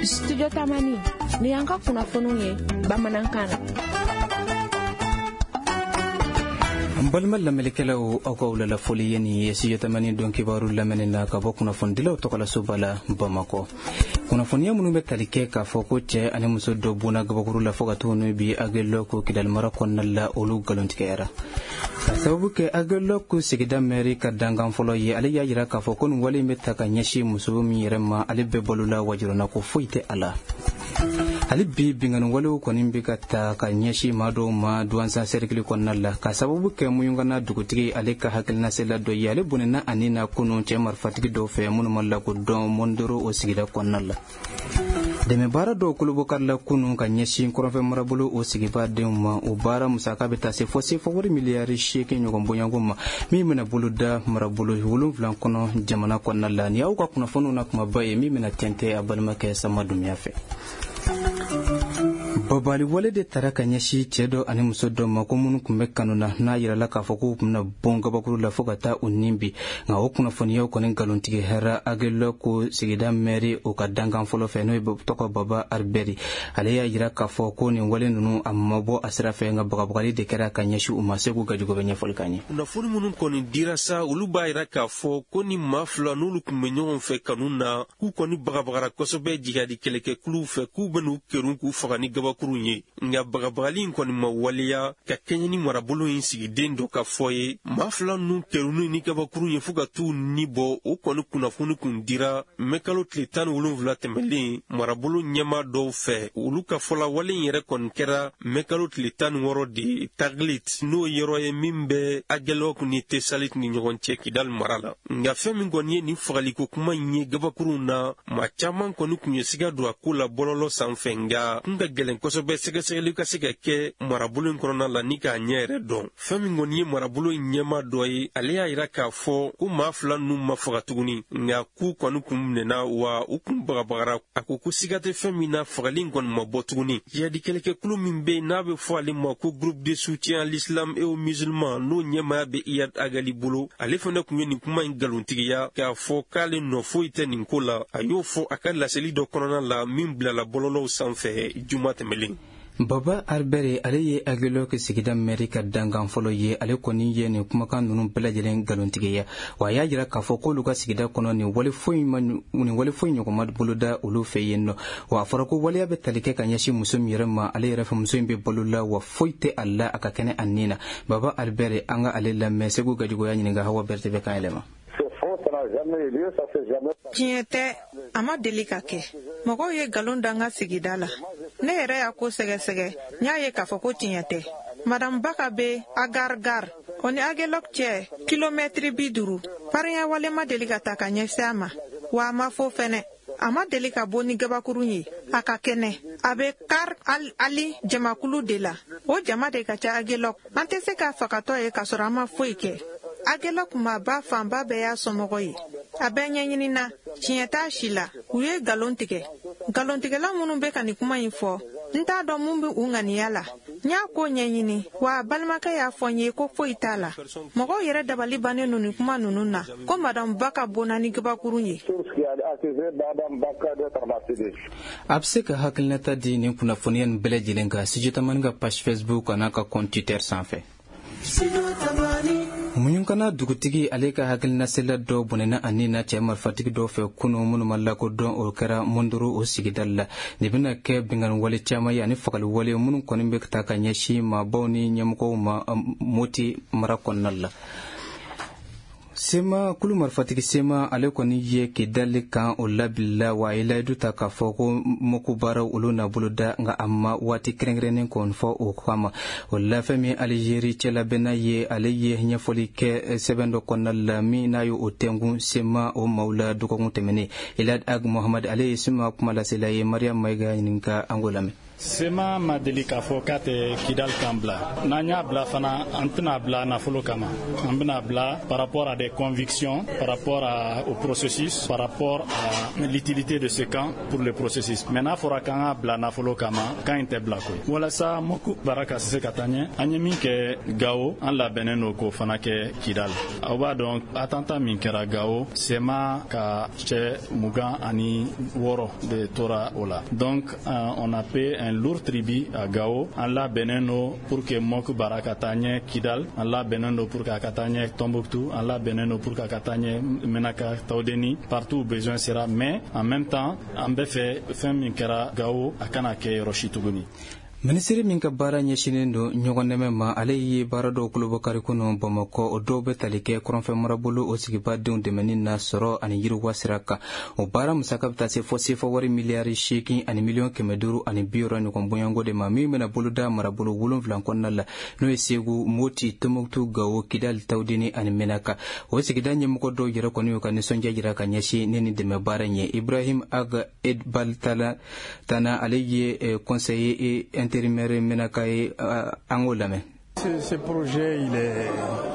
Studio Tamani, ni y'an ka kunnafoniw ye bamanankan na. An balima lamɛnnikɛlaw, aw ka wulala foli ye nin ye Studio Tamani don kibaru lamɛnni na ka bɔ kunnafonidilaw tɔgɔlasoba la Bamakɔ. Kunnafoniya minnu bɛ tali kɛ k'a fɔ ko cɛ ani muso dɔ bonna gabakuru la fo ka t'u n'u bi Agelɔku Kidali mara kɔnɔna la, olu nkalontigɛyara. Ka sababu kɛ Agelɔku sigida mɛri ka dankan fɔlɔ ye, ale y'a jira k'a fɔ ko nin wale in bɛ ta ka ɲɛsin muso min yɛrɛ ma, ale bɛɛ balola wajurana ko foyi tɛ a la. Hali bi binkanni walew kɔni bɛ ka ta ka ɲɛsin maa dɔw ma Duwansan sɛrikili kɔnɔna la, ka sababu kɛ Muyungana dugutigi ale ka hakilinasela dɔ ye, ale bɔnɛna a ni na kunun cɛ marifatigi dɔw fɛ minnu ma lakodɔn Mɔndoro o sigida kɔnɔna la. Dɛmɛbaara dɔw kolobokarila kunun ka ɲɛsin kɔrɔnfɛ marabolo o sigibaa denw ma. O baara musaka bɛ taa se fɔ sefa wari miliyari 8 ɲɔgɔn bɔɲɔgɔnko ma, min bɛna boloda marabolo 7 kɔnɔ jamana kɔnɔna la. Nin y'aw ka kunnafoniw na kumaba ye min bɛna tɛntɛn a balimakɛ Sama Dunbiya fɛ. Babali wale de tara ka ɲɛsin cɛ dɔ ani muso dɔ ma ko minnu tun bɛ kanu na, n'a yirala k'a fɔ k'u tun bɛna bɔn gabakuru la fo ka taa u nin bi. Nka o kunnafoniyaw kɔni nkalontigɛ hɛrɛ Agelɔku sigida mɛri o ka dankan fɔlɔ fɛ, n'o ye tɔgɔ Baba Aribɛri, ale y'a yira k'a fɔ ko nin wale ninnu a ma bɔ a sira fɛ, nka bagabagali de kɛra ka ɲɛsin u ma. Segu Gajugu bɛ ɲɛfɔli k'an ye. Kunnafoni minnu kɔni dira sa, olu b'a yira k'a fɔ ko ni maa fila n'olu tun bɛ ɲɔgɔn fɛ kanu na, k'u kɔni bagabagara kosɛbɛ jihadi kɛlɛkɛkuluw fɛ, k'u bɛn'u kerun k'u faga ni gabakurun ye. Nka bagabagali in kɔni ma waleya ka kɛɲɛ ni marabolo in sigiden dɔ ka fɔ ye. Maa fila ninnu kerunni ni gabakurun ye fo ka t'u ni bɔ, o kɔni kunnafoni kun dira mɛkalo tile 17 tɛmɛlen marabolo ɲɛmaa dɔw fɛ. Olu ka fɔla wale in yɛrɛ kɔni kɛra mɛkalo tile 16 de Taglit, n'o yɔrɔ ye min bɛ Agelɔk ni Tesalit ni ɲɔgɔn cɛ Kidal mara la. Nka fɛn min kɔni ye nin fagaliko kuma in ye gabakurunw na, maa caman kɔni kun ye siga don a ko la bɔlɔlɔ sanfɛ, nka kun ka gɛlɛn kosɛbɛ sɛgɛsɛgɛli ka se ka kɛ marabolo in kɔnɔna la ni k'a ɲɛ yɛrɛ dɔn. Fɛn min kɔni ye marabolo in ɲɛmaa dɔ ye, ale y'a yira k'a fɔ ko maa fila ninnu ma faga tuguni, nka k'u kɔni kun minɛna wa u kun bagabagara. A ko ko siga tɛ fɛn min na, fagali in kɔni ma bɔ tuguni. Jihadi kɛlɛkɛkulu min bɛ yen n'a bɛ fɔ ale ma ko groupe de soutien à l'islam et aux musulmans, n'o ɲɛmaaya bɛ Iyad Agali bolo, ale fana kun ye nin kuma in nkalontigiya k'a fɔ k'ale nɔ foyi tɛ nin ko la. A y'o fɔ a ka laseli dɔ kɔnɔna la min bilala bɔlɔlɔw sanfɛ juma tɛmɛlen. Baba Arbɛri, ale ye Agelɔk sigida mɛri ka dankan fɔlɔ ye, ale kɔni ye nin kumakan ninnu bɛɛ lajɛlen nkalontigiya, wa a y'a jira k'a fɔ k'olu ka sigida kɔnɔ nin wale foyi ma, nin wale foyi ɲɔgɔn ma boloda olu fɛ yen nɔ. Wa a fɔra ko waleya bɛ tali kɛ ka ɲɛsin muso min yɛrɛ ma, ale yɛrɛ fɛ muso in bɛ balo la wa foyi tɛ a la, a ka kɛnɛ a nin na. Baba Arbɛri, an ka ale lamɛn. Segu Gajugu y'a ɲininka, Hawa Berete bɛ kan yɛlɛma. Tiɲɛ tɛ, a ma deli ka kɛ. Mɔgɔw ye nkalon da n ka sigida la. Ne yɛrɛ y'a ko sɛgɛsɛgɛ, n y'a ye k'a fɔ ko tiɲɛ tɛ. Madame Baka bɛ Agargar, o ni Agelɔk cɛ kilomɛtiri 50. Farinya wale ma deli ka ta ka ɲɛsin a ma, wa a ma fɔ fɛnɛ. A ma deli ka bɔ ni gabakurun ye, a ka kɛnɛ. A bɛ Kar Al Ali jamakulu de la, o jama de ka ca Agelɔk. An tɛ se k'a fagatɔ ye k'a sɔrɔ an ma foyi kɛ. Agelɔk maaba fanba bɛɛ y'a somɔgɔ ye. A bɛɛ ɲɛɲinina, tiɲɛ t'a si la. U ye nkalon tigɛ. Nkalontigɛla minnu bɛ ka nin kuma in fɔ, n t'a dɔn mun bɛ u ŋaniya la. N y'a ko ɲɛɲini, wa a balimakɛ y'a fɔ n ye ko foyi t'a la. Mɔgɔw yɛrɛ dabali bannen don nin kuma ninnu na, ko Madame Baka bonna ni gabakurun ye. A bɛ se ka hakilinata di nin kunnafoniya nin bɛɛ lajɛlen kan Studio Tamani ka page Facebook an'a ka compte Twitter sanfɛ. Muɲukana dugutigi ale ka hakilinasela dɔ bɔnɛna a ni na cɛ marifatigi dɔw fɛ kunu minnu ma lakodɔn, o kɛra Mondoro o sigida la. Nin bɛna kɛ binkanni wale caman ye ani fagali wale minnu kɔni bɛ ta ka ɲɛsin maabaw ni ɲɛmɔgɔw ma Moti mara kɔnɔna la. Sema kulu marifatigi Sema, ale kɔni ye Kidali kan o labilila, wa a ye layidu ta k'a fɔ ko mɔku baaraw olu na boloda, nka a ma waati kɛrɛnkɛrɛnnen kɔni fɔ o kama. O la fɛn min Alizeri cɛlabɛnna ye, ale ye ɲɛfɔli kɛ sɛbɛn dɔ kɔnɔna la min n'a ye o tɛnkun Sema o maaw la dɔgɔkun tɛmɛnen. Elad Ag Mohamad, ale ye Sema kumalasela ye. Mariam Mayiga ɲininka, an k'o lamɛn. CMA ma deli k'a fɔ k'a tɛ Kidal camp bila. N'an y'a bila fana, an tɛna bila nafolo kama. An bɛna bila par rapport à des convictions, par rapport au processus, par rapport à l'utilité de ce camp pour le processus. Mais n'a fɔra k'an k'a bila nafolo kama, camp in tɛ bila koyi. Walasa MOC baara ka se ka taa ɲɛ, an ye min kɛ Gawo, an labɛnnen don k'o fana kɛ Kidal. Aw b'a dɔn, attentat min kɛra Gawo, CMA ka cɛ 26 de tora o la. Donc on a payé un lourd tribut à Gao. An labɛnnen don pour que MOC baara ka taa ɲɛ Kidal, an labɛnnen don pour que a ka taa ɲɛ Tombouctou, an labɛnnen don pour que a ka taa ɲɛ Menaka, Tawdeni, partout où besoin sera. Mais en même temps, an bɛ fɛ fɛn min kɛra Gao, a kana kɛ yɔrɔ si tuguni. Minisiri min ka baara ɲɛsinnen don ɲɔgɔn dɛmɛ ma, ale ye baara dɔw kolobɔkari kɔnɔ Bamakɔ. O dɔw bɛ tali kɛ kɔrɔnfɛ marabolo o sigibadenw dɛmɛni na sɔrɔ ani yiriwa sira kan. O baara musaka bɛ taa se fɔ sefa wari miliyari 8 miliyɔn 560 ɲɔgɔn bonyanko de ma, min bɛna boloda marabolo wolonfila kɔnɔna la, n'o ye Segu, Moti, Tɔnbɔkutu, Gawo, Kidali, Tawudeni ani Menaka. O sigida ɲɛmɔgɔ dɔw yɛrɛ kɔni y'u ka nisɔndiya jira ka ɲɛsin ne ni dɛmɛ baara in ye. Ibrahim Ag Edbal Tana, ale ye conseiller intérimaire Menaka ye, an k'o lamɛn. Ce projet,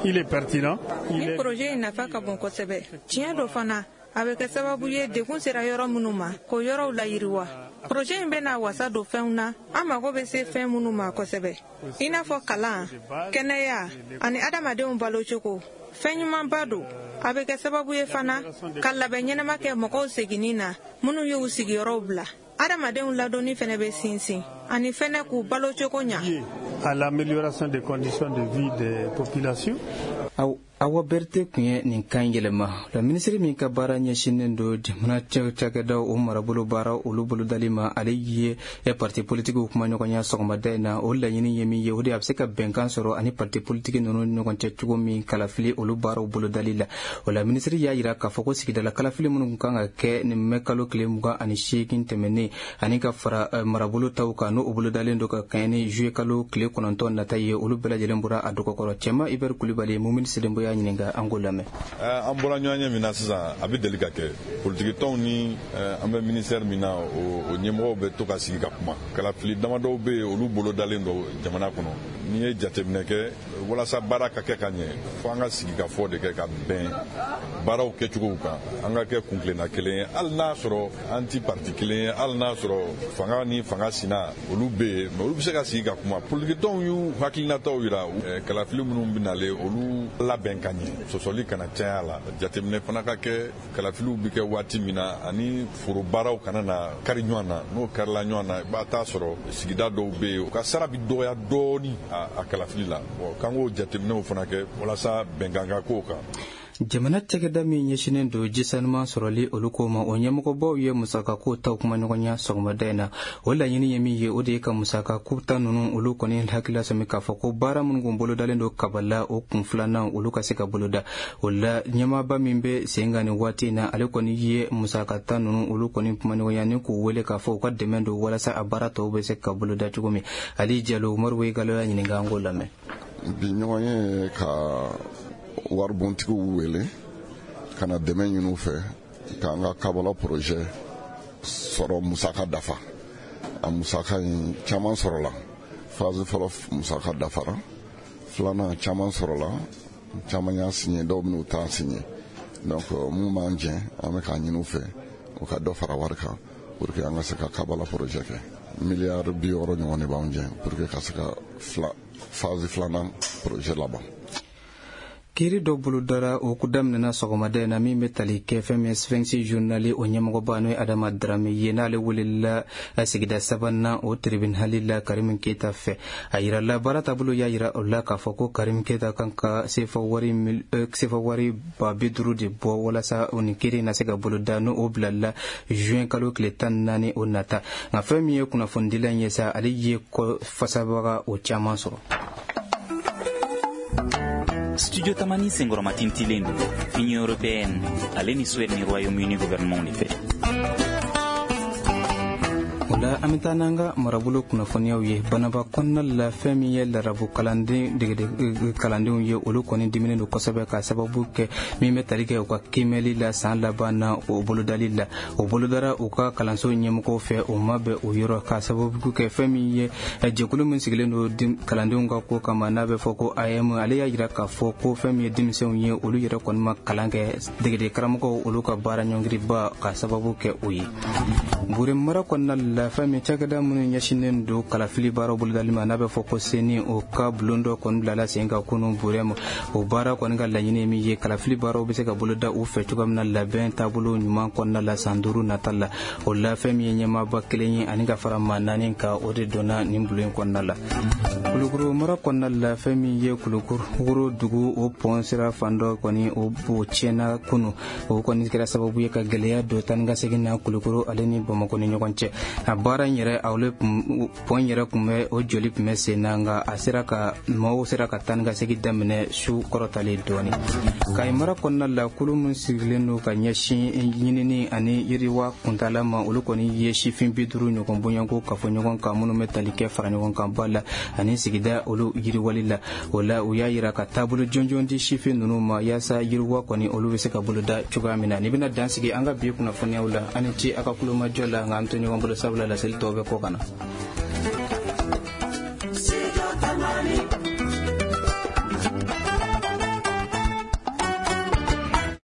il est pertinent. Ni projet in nafa ka bon kosɛbɛ. Tiɲɛ dɔ fana, a bɛ kɛ sababu ye, degun sera yɔrɔ minnu ma, k'o yɔrɔw layiriwa. Projet in bɛna wasa don fɛnw na an mago bɛ se fɛn minnu ma kosɛbɛ, i n'a fɔ kalan, kɛnɛya ani adamadenw balocogo. Fɛn ɲumanba don. A bɛ kɛ sababu ye fana ka labɛn ɲɛnama kɛ mɔgɔw seginni na minnu y'u sigiyɔrɔw bila. Adamadenw ladonni fɛnɛ bɛ sinsin ani fɛnɛ k'u balocogo ɲa. À l'amélioration des conditions de vie des populations. Awa Berete tun ye nin kan yɛlɛma la. Minisiri min ka baara ɲɛsinnen don jamana cakɛdaw o marabolo baara olu bolodali ma, ale ye parti politikiw kumaɲɔgɔnya sɔgɔmada in na. O laɲini ye min ye, o de a bɛ se ka bɛnkan sɔrɔ ani parti politiki ninnu ni ɲɔgɔn cɛ cogo min kalafili olu baaraw bolodali la. O la, minisiri y'a jira k'a fɔ ko sigidala kalafili minnu kan ka kɛ nin mɛ kalo tile 28 tɛmɛnen, ani ka fara marabolo taw kan, n'o bolodalen don ka kɛɲɛ ni juillet kalo tile 9 nata ye, olu bɛɛ lajɛlen bɔra a dɔgɔkɔrɔ. Cɛma Ibɛri Kulibali, Mumini Sedenbo y'a ɲininka, an k'o lamɛn. An bɔra ɲɔgɔn ɲɛ min na sisan, a bɛ deli ka kɛ politikitɔnw ni an bɛ ministère min na, o ɲɛmɔgɔw bɛ to ka sigi ka kuma. Kalafili damadɔw bɛ yen, olu bolodalen don jamana kɔnɔ. N'i ye jateminɛ kɛ, walasa baara ka kɛ ka ɲɛ, fo an ka sigi ka fɔ de kɛ ka bɛn baaraw kɛcogow kan, an ka kɛ kuntilenna kelen ye. Hali n'a sɔrɔ an ti parti kelen ye, hali n'a sɔrɔ fanga ni fanga sina olu bɛ yen, mais olu bɛ se ka sigi ka kuma. Politikitɔnw y'u hakilinataw yira, kalafili minnu bɛ nalen, olu labɛn ka ɲɛ, sɔsɔli kana caya la. Jateminɛ fana ka kɛ kalafiliw bɛ kɛ waati min na, ani foro baaraw kana na kari ɲɔgɔn na. N'o karila ɲɔgɔn na, i b'a taa sɔrɔ sigida dɔw bɛ yen, u ka sara bɛ dɔgɔya dɔɔni a kalafili la. K'an k'o jateminɛw fana kɛ walasa bɛnkan ka k'o kan. Jamana cakɛda min ɲɛsinnen don jisanuman sɔrɔli olu ko ma, o ɲɛmɔgɔbaw ye musakako taw kumaɲɔgɔnya sɔgɔmada in na. O laɲini ye min ye, o de ye ka musakako ta ninnu olu kɔni hakilila sɔmi k'a fɔ ko baara minnu kun bolodalen don kabala, o kun filanan olu ka se ka boloda. O la, ɲɛmaaba min bɛ sen kan nin waati in na, ale kɔni ye musakata ninnu olu kɔni kumaɲɔgɔnya ni k'u wele k'a fɔ u ka dɛmɛ don walasa a baara tɔw bɛ se ka boloda cogo min. Ali Jalo, Umaru Wegalo y'a ɲininka, an k'o lamɛn. Bi ɲɔgɔn ye ka waribontigiw wele ka na dɛmɛ ɲini u fɛ k'an ka Kabala projet sɔrɔ musaka dafa. A musaka in caman sɔrɔla. Phase fɔlɔ musaka dafara, filanan caman sɔrɔla, caman y'a signé, dɔw bɛn'u ta signé. Donc mun b'an jɛ, an bɛ k'a ɲini u fɛ u ka dɔ fara wari kan pour que an ka se ka Kabala projet kɛ. Miliyari 60 ɲɔgɔn de b'an jɛ pour que ka se ka fila phase filanan projet laban. Kiiri dɔ bolodara, o daminɛna sɔgɔmada in na, min bɛ tali kɛ fɛn min Sphinx journal o ɲɛmɔgɔba, n'o ye Adama Darame ye, n'ale welela sigida sabanan o tribunal la Karimu Keyita fɛ. A yirala baara taabolo y'a yira o la k'a fɔ ko Karimu Keyita kan ka sefa wari 50 000 de bɔ walasa o nin kiiri na se ka boloda, n'o o bilala juin kalo tile 14 o nata. Nka fɛn min ye kunnafonidila in ye sa, ale ye kɔ fasabaga o caman sɔrɔ. Studio Tamani senkɔrɔmatintilen don Union européenne ale ni Suède ni Royaume-Uni gouvernement de fɛ. O La an bɛ taa n'an ka marabolo kunnafoniyaw ye. Banaba kɔnɔna la, fɛn min ye larabu kalanden degede kalandenw ye, olu kɔni diminen don kosɛbɛ ka sababu kɛ min bɛ tali kɛ u ka kiimɛli la san laban na, o bolodali la, o bolodara u ka kalanso ɲɛmɔgɔw fɛ, o ma bɛn o yɔrɔ, ka sababu kɛ fɛn min ye jɛkulu min sigilen don kalandenw ka ko kama, n'a bɛ fɔ ko AEEM, ale y'a jira k'a fɔ ko fɛn min ye denmisɛnw ye, olu yɛrɛ kɔni ma kalan kɛ, degede karamɔgɔw olu ka baara ɲɔngiriba ka sababu kɛ o ye. Bure mara kɔnɔna la, fɛn min cakɛda minnu ɲɛsinnen don kalafili baaraw bolodali ma, n'a bɛ fɔ ko CENI, o ka bulon dɔ kɔni bilala sen kan kunun Burɛ ma. O baara kɔni ka laɲini min ye, kalafili baaraw bɛ se ka boloda u fɛ cogoya min na labɛn taabolo ɲuman kɔnɔna la san 5 nata la. O la, fɛn min ye ɲɛmaaba kelen ye ani ka fara maa naani kan, o de donna nin bulon in kɔnɔna la. Kulukoro mara kɔnɔna la, fɛn min ye Kulukoro dugu, o pɔn sira fan dɔ kɔni o tiɲɛna kunu. O kɔni kɛra sababu ye ka gɛlɛya don taa ni ka segin na Kulukoro ale ni Bamakɔ ni ɲɔgɔn cɛ. A baara in yɛrɛ, ale pɔn yɛrɛ tun bɛ, o joli tun bɛ sen na, nka a sera ka maaw sera ka taa ni ka segin daminɛ su kɔrɔtalen dɔɔni. Kayi mara kɔnɔna la, kulu min sigilen don ka ɲɛsin ɲinini ani yiriwa kuntaala ma, olu kɔni ye sifin 50 ɲɔgɔn bonyanko kafo ɲɔgɔn kan, minnu bɛ tali kɛ fara ɲɔgɔn kan ba la ani sigida olu yiriwali la. O la, u y'a yira ka taabolo jɔnjɔn di sifin ninnu ma, yaasa yiriwa kɔni olu bɛ se ka boloda cogoya min na. Ni bɛna dan sigi an ka bi kunnafoniyaw la. An ni ce a ka kulomajɔ la, nka an to ɲɔgɔn bolo, sabula laseli tɔw bɛ kɔ ka na.